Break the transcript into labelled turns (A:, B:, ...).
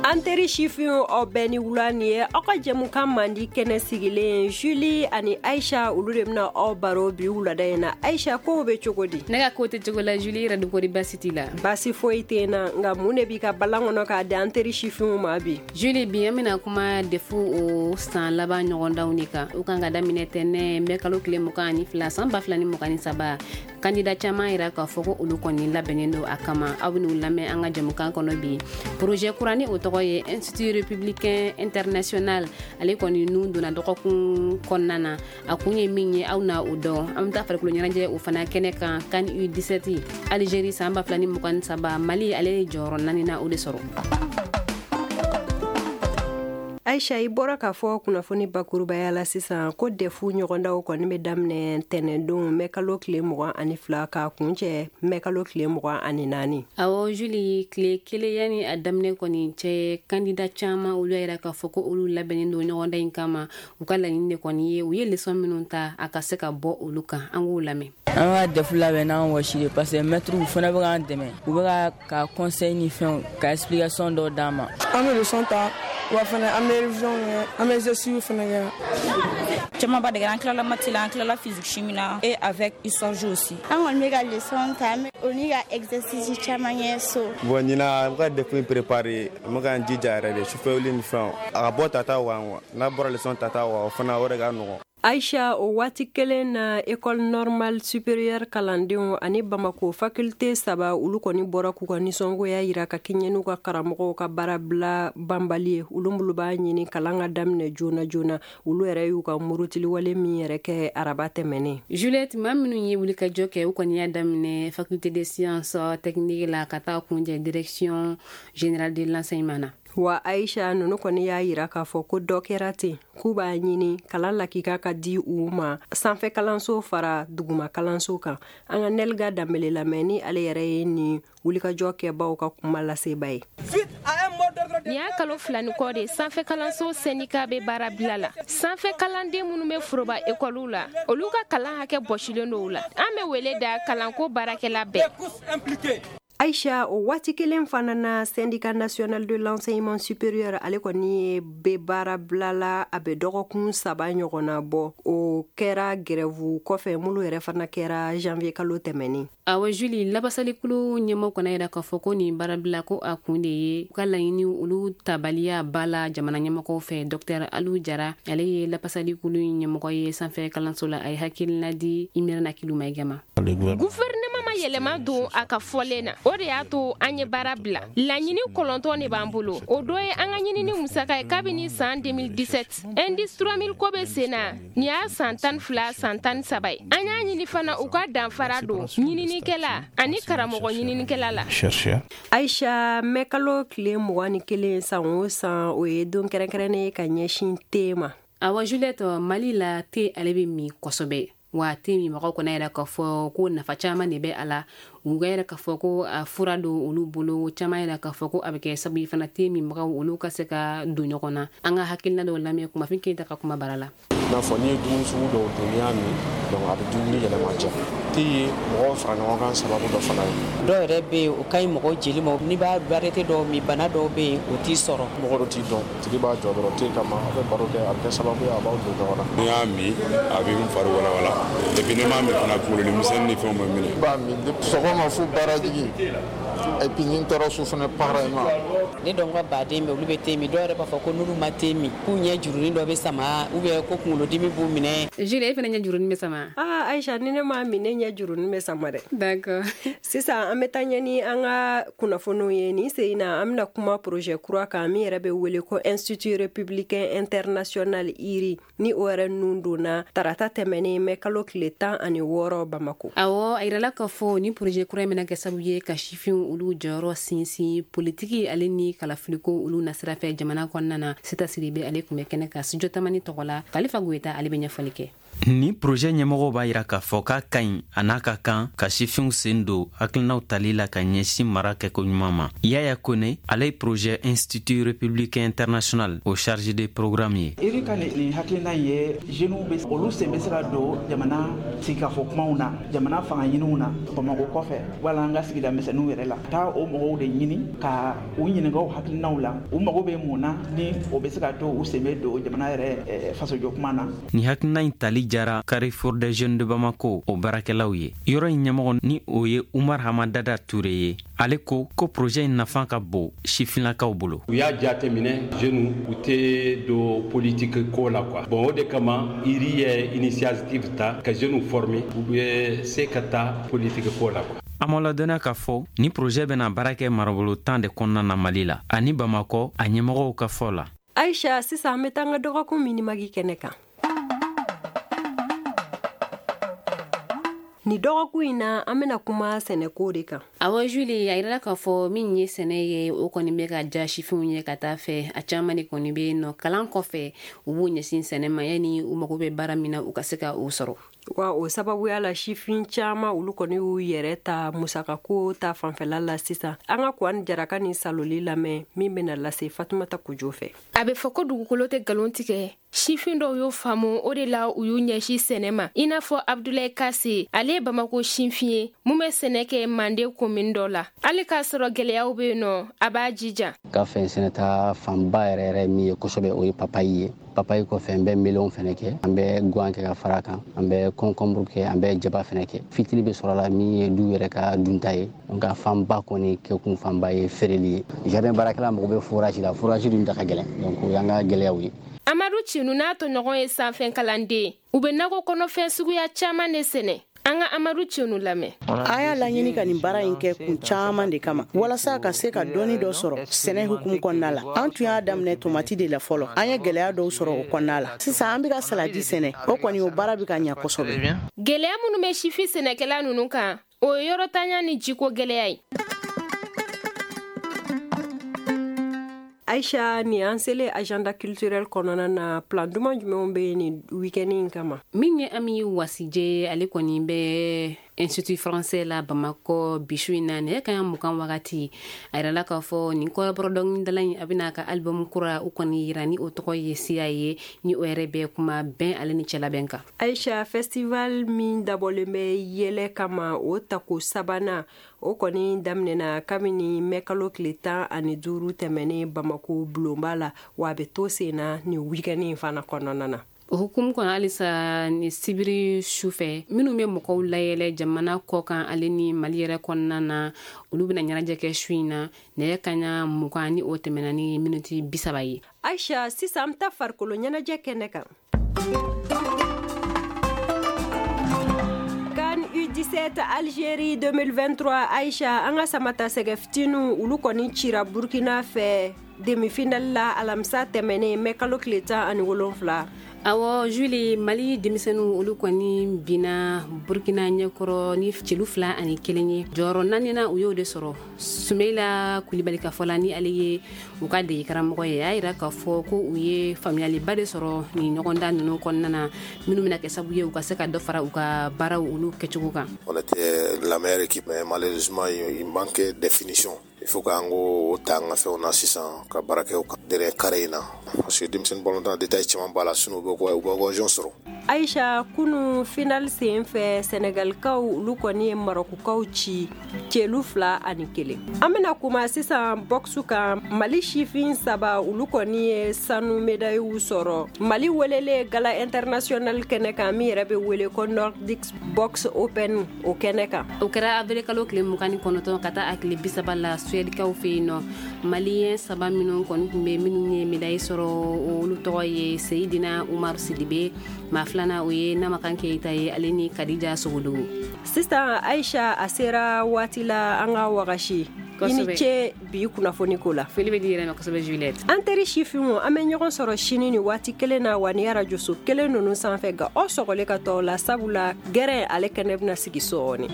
A: An teri sifinw, aw bɛɛ ni wula. Nin ye aw ka jɛmukan mandi kɛnɛ sigilen. Julie ani Aisha, olu de bɛna aw baro bi wulada in na. Aisha, kow bɛ cogo di?
B: Ne ka ko tɛ cogo la. Julie yɛrɛ dun, kori basi t'i la?
A: Basi foyi tɛ na. Nka mun de b'i ka balan kɔnɔ k'a di an teri sifinw ma bi?
B: Julie, bi an bɛna kuma DEF o san laban ɲɔgɔndanw de kan. U kan ka daminɛ tɛnɛ mɛ kalo tile 22 san 2023. Kandida caman yira k'a fɔ ko olu kɔni labɛnnen don a kama. Aw ben'u lamɛn an ka jɛmukan kɔnɔ bi. Projet kura ni o tɔgɔ ye Institut républicain international, ale kɔni nun donna dɔgɔkun kɔnɔna na. A kun ye min ye, aw na o dɔn. An bɛ taa farikolo ɲɛnajɛ o fana kɛnɛ kan. CAN U17 Algérie san 2023, Mali ale ye jɔyɔrɔ naaninan o de sɔrɔ.
A: Aisha, i bɔra k'a fɔ kunnafoni bakurubaya la sisan ko DEF ɲɔgɔndaw kɔni bɛ daminɛ tɛnɛndon mɛ kalo tile 22 k'a kuncɛ mɛ kalo tile 24.
B: Awɔ Julie, tile kelen yanni a daminɛ kɔni cɛ, kandida caman olu y'a yira k'a fɔ ko olu labɛnnen don ɲɔgɔndan in kama. U ka laɲini de kɔni ye u ye leçon minnu ta, a ka se ka bɔ olu kan. An k'u lamɛn.
C: An ka DEF labɛn n'an wɔsi de, parce que maître fana bɛ k'an dɛmɛ, u bɛ ka conseil ni fɛnw ka explication dɔw d'an ma.
D: An bɛ leçon ta wa fana, an bɛ révision kɛ, an bɛ exercice fana kɛ.
E: Caman ba de kɛra. An tilala maths la, an tilala physique chimie na et avec histoire géo aussi.
F: An kɔni bɛ ka leçon ta o ni ka exercice caman kɛ so.
G: Bon, ɲinan, an bɛ ka DEF préparer, an bɛ k'an jija yɛrɛ de, sufɛ wuli ni fɛnw, a ka bɔ tata kan quoi. N'a bɔra leçon tata kan, o fana o de ka nɔgɔn.
A: Aisha, o waati kelen na, École normale supérieure kalandenw ani Bamako faculté saba, olu kɔni bɔra k'u ka nisɔngoya yira ka kɛɲɛ n'u ka karamɔgɔw ka baarabila banbali ye. Olu minnu b'a ɲini kalan ka daminɛ joona joona, olu yɛrɛ y'u ka murutiliwale min yɛrɛ kɛ araba tɛmɛnen.
B: Juliette, maa minnu ye wulikajɔ kɛ, u kɔni y'a daminɛ faculté des sciences techniques la ka taa kunjɛ Direction générale de l'enseignement na.
A: Wa Aisha, nunu kɔni y'a yira k'a fɔ ko dɔ kɛra ten, k'u b'a ɲini kalan lakika ka di u ma sanfɛ kalanso fara duguma kalanso kan. An ka Nɛliga Danbele lamɛn, ni ale yɛrɛ ye nin wulikajɔ kɛbaw ka kuma laseba ye.
H: Nin y'a kalo 2 ni kɔ de sanfɛ kalanso syndicat bɛ baara bila la. Sanfɛ kalanden minnu bɛ foroba ekɔliw la, olu ka kalan hakɛ bɔsilen don u la. An bɛ wele da kalanko baarakɛla bɛɛ.
A: Aisha, o waati kelen fana na, Syndicat national de l'enseignement supérieur, ale kɔni ye bɛ baara bila la, a bɛ dɔgɔkun 3 ɲɔgɔnna bɔ. O kɛra grève kɔfɛ minnu yɛrɛ fana kɛra janvier kalo tɛmɛnen.
B: Awɔ Julie, labasalikulu ɲɛmɔgɔ kɔni yira k'a fɔ ko nin baarabila ko a kun de ye u ka laɲini olu tabaliya ba la jamana ɲɛmɔgɔw fɛ. Docteur Alu Jara, ale ye labasalikulu ɲɛmɔgɔ ye sanfɛ kalanso la. A ye hakilina di Imirana Kilu Mayiga ma.
H: Gouvernement ma yɛlɛma don a ka fɔlen na, o de y'a to an ye baara bila. Laɲini 9 de b'an bolo. O dɔ ye an ka ɲinini musaka ye kabini san 2017. Indice 3000 ko bɛ sen na, nin y'a san 12, san 13 ye. An y'a ɲini fana u ka danfara don ɲininikɛla ani karamɔgɔ ɲininikɛla la.
A: Aisha, mɛ kalo tile 21 san o san, o ye don kɛrɛnkɛrɛnnen ye ka ɲɛsin te ma.
B: Awa Juliette, Mali la, te ale bɛ min kosɛbɛ. Wa te min mɔgɔw kɔnɔ yɛrɛ k'a fɔ ko nafa caman de bɛ a la. U ka yɛrɛ k'a fɔ ko a fura don olu bolo. Caman yɛrɛ k'a fɔ ko a bɛ kɛ sababu ye fana, te minbagaw olu ka se ka don ɲɔgɔn na. An ka hakilina dɔw lamɛn Kumafin Keyita ka kuma bara la.
I: N'a fɔ n'i ye dumuni sugu dɔw dun, n'i y'a min, donc a bɛ dumuni yɛlɛma diya. Te ye mɔgɔw fara ɲɔgɔn kan sababu dɔ fana ye.
J: Dɔw yɛrɛ bɛ yen, o ka ɲi mɔgɔ jeli ma. N'i b'a variété dɔw min, bana dɔw bɛ yen, o t'i sɔrɔ.
I: Mɔgɔ dɔ t'i dɔn, tigi b'a jɔ dɔrɔn te kama, a bɛ baro kɛ, a bɛ kɛ sababu ye a b'aw don ɲɔgɔn na.
K: N'i y'a min, a bɛ n fari walawala, et puis ni m'a min fana, kunkolodimi ni fɛnw bɛ minɛ.
L: I b'a min sɔgɔma fo baarajigi, et puis ni n taara so fana, pareillement.
J: Ne dɔn ka baden bɛ, olu bɛ te min. Dɔw yɛrɛ b'a fɔ ko n'olu ma te min, k'u ɲɛ jurunin dɔ bɛ sama ou bien ko kunkolodimi b'u minɛ.
B: Julie, e fana ɲɛ jurunin bɛ sama?
A: Ah Aisha, ni ne m'a min, ne ɲɛ jurunin bɛ sama dɛ.
B: D'accord.
A: Sisan an bɛ taa ɲɛ ni an ka kunnafoniw ye. Nin sen in na, an bɛna kuma projet kura kan min yɛrɛ bɛ wele ko Institut républicain international IRI, ni o yɛrɛ nun donna tarata tɛmɛnen mɛ kalo tile 16 Bamako.
B: Awɔ, a yirala k'a fɔ ni projet kura in bɛna kɛ sababu ye ka sifinw olu jɔyɔrɔ sinsin politiki ale ni kalafiliko olu nasira fɛ jamana kɔnɔna na. Sita Sidibe, ale tun bɛ kɛnɛ kan studio Tamani tɔgɔ la. Kalifa Goyita, ale bɛ ɲɛfɔli kɛ.
M: Ni projet ɲɛmɔgɔw b'a yira k'a fɔ k'a ka ɲi a n'a ka kan ka sifinw sen don hakilinaw tali la ka ɲɛsin mara kɛko ɲuman ma. Yaya Kone, ale ye projet Institut républicain international o chargé de programme ye.
N: IRI ka nin hakilina ye, jeunes bɛ olu sen bɛ se ka don jamana sigikafɔ kumaw na, jamana fanga ɲiniw na, Bamakɔ kɔfɛ wala an ka sigida misɛnninw yɛrɛ la, taa o mɔgɔw de ɲini ka u ɲininka u hakilinaw la, u mago bɛ mun na ni o bɛ se ka to u sen bɛ don jamana yɛrɛ fasojɔ kuma na.
M: Nin hakilina in tali jara Carrefour des jeunes de Bamako o baarakɛlaw ye. Yɔrɔ in ɲɛmɔgɔ ni o ye Umar Hamadada Ture ye, ale ko ko projet in nafa ka bon sifinnakaw bolo.
O: U y'a jateminɛ, jeunes u tɛ don politique ko la quoi. Bon, o de kama IRI ye initiative ta ka jeunes former, u bɛ se ka taa politique ko la quoi.
M: An ma ladɔnniya k'a fɔ ni projet bɛna baara kɛ marabolo 10 de kɔnɔna na Mali la ani Bamakɔ, a ɲɛmɔgɔw ka fɔ la.
A: Aisha, sisan an bɛ taa an ka dɔgɔkun minimagi kɛnɛ kan. Ni dɔgɔkun in na, an bɛna kuma sɛnɛko de kan.
B: Awɔ Julie, a yirala k'a fɔ min ye sɛnɛ ye, o kɔni bɛ ka ja sifinw ye ka taa fɛ. A caman de kɔni bɛ yen nɔ, kalan kɔfɛ u b'u ɲɛsin sɛnɛ ma, yanni u mago bɛ baara min na u ka se ka o sɔrɔ.
A: Wa o sababuya la, sifin caman olu kɔni y'u yɛrɛ ta musakako ta fanfɛla la sisan. An ka Kuwani Jaraka ni Saloli lamɛn min bɛna lase Fatumata Kojo fɛ.
H: A bɛ fɔ ko dugukolo tɛ nkalon tigɛ. Sifin dɔw y'o faamu, o de la u y'u ɲɛsin sɛnɛ ma, i n'a fɔ Abdulayi Kase. Ale ye Bamako sinfin ye mun bɛ sɛnɛ kɛ Mande komin dɔ la. Hali k'a sɔrɔ gɛlɛyaw bɛ yen nɔ, a b'a jija.
P: Ka fɛn sɛnɛta fanba yɛrɛ yɛrɛ min ye kosɛbɛ, o ye papayi ye. Papayi kɔfɛ, n bɛ melon fɛnɛ kɛ, an bɛ guwan kɛ ka fara kan, an bɛ concombre kɛ, an bɛ jaba fɛnɛ kɛ. Fitiri bɛ sɔrɔ la min ye du yɛrɛ ka dunta ye, nka fanba kɔni kɛkun fanba ye feereli ye. Jardin baarakɛla mago bɛ forage la, forage dun da ka gɛlɛn, donc o y'an ka gɛlɛyaw ye.
H: Amadu Cinu n'a tɔɲɔgɔn ye sanfɛ kalanden, u bɛ nakɔ kɔnɔfɛn suguya caman de sɛnɛ. An ka Amadu Cinu lamɛn.
Q: An y'a laɲini ka nin baara in kɛ kun caman de kama, walasa ka se ka dɔɔni dɔ sɔrɔ sɛnɛ hukumu kɔnɔna la. An tun y'a daminɛ tomati de la fɔlɔ, an ye gɛlɛya dɔw sɔrɔ o kɔnɔna la. Sisan an bɛ ka saladi sɛnɛ, o kɔni o baara bɛ ka ɲɛ kosɛbɛ.
H: Gɛlɛya minnu bɛ sifin sɛnɛkɛla ninnu kan, o ye yɔrɔtanya ni jiko gɛlɛya ye.
A: Aisha, ni an selen agenda culturel kɔnɔna na, plan duman jumɛnw bɛ yen nin week-end in kama?
B: Min ye Ami Wasije, ale kɔni bɛ Institut français la Bamakɔ bisu in na nɛgɛ kanɲɛ 20 wagati. A yirala k'a fɔ nin kɔrɔbɔrɔ dɔnkilidala in, a bɛna a ka album kura o kɔni yira ni o tɔgɔ ye Siya ye, ni o yɛrɛ bɛ kuma bɛn ale ni cɛlabɛn kan.
A: Aisha, festival min dabɔlen bɛ yɛlɛ kama, o tako sabanan o kɔni daminɛna kabini mɛkalo tile 15 tɛmɛnen Bamako bulonba la, wa a bɛ to sen na nin week-end in fana kɔnɔna na.
B: O hukumu kɔnɔ halisa, ni sibiri su fɛ, minnu bɛ mɔgɔw layɛlɛ jamana kɔ kan ale ni Mali yɛrɛ kɔnɔna na, olu bɛna ɲɛnajɛ kɛ su in na nɛgɛ kanɲɛ 20 ni o tɛmɛna ni miniti 30 ye.
A: Aisha, sisan an bɛ taa farikolo ɲɛnajɛ kɛnɛ kan. CAN U17 Algérie 2023, Aisha, an ka samata sɛgɛ fitininw olu kɔni cira Burkina fɛ demi-finale la alamisa tɛmɛnen mɛ kalo tile 17.
B: Awɔ Julie, Mali denmisɛnninw olu kɔni binna Burkina ɲɛkɔrɔ ni celu 2-1 ye. Jɔyɔrɔ naaninan u y'o de sɔrɔ. Sumayila Kulibali ka fɔ la, ni ale ye u ka dege karamɔgɔ ye, a y'a yira k'a fɔ ko u ye faamuyaliba de sɔrɔ nin ɲɔgɔndan ninnu kɔnɔna na, minnu bɛna kɛ sababu ye u ka se ka dɔ fara u ka baaraw olu kɛcogo kan.
R: On était la meilleure équipe, mais malheureusement il manquait de finition. Il faut k'an k'o ta an ka fɛnw na sisan ka baara kɛ o kan dernier carré in na, parce que denmisɛnnin balontan détail caman b'a la, sinon u bɛ occasion sɔrɔ.
A: Aisha, kunu final sen fɛ, Senegalikaw olu kɔni ye Marokukaw ci celu 2-1. An bɛna kuma sisan boxe kan. Mali sifin 3 olu kɔni ye sanu médaille sɔrɔ Mali welelen gala international kɛnɛ kan, min yɛrɛ bɛ wele ko Nordic Box Open o kɛnɛ kan.
B: O kɛra avril kalo tile 29 ka taa a tile 30 la Suèdekaw fɛ yen nɔ. Maliyɛn 3 minnu kɔni tun bɛ minnu ye médaille sɔrɔ, olu tɔgɔ ye Seyidina Umaru Sidibe, maa filanan o ye Namakan Keyita ye, ale ni Kadija Sogodogo.
A: Sisan Aisha, a sera waati la an ka wagasi. I ni ce bi kunnafoni ko la.
B: Foli bɛ di yɛrɛ ma kosɛbɛ Juliette.
A: An teri sifinw, an bɛ ɲɔgɔn sɔrɔ sini ni waati kelen na wa ni arajoso kelen ninnu sanfɛ, nka aw sɔgɔlen ka tɔw la, sabula gɛrɛn ale kɛnɛ bɛna sigi sɔɔni.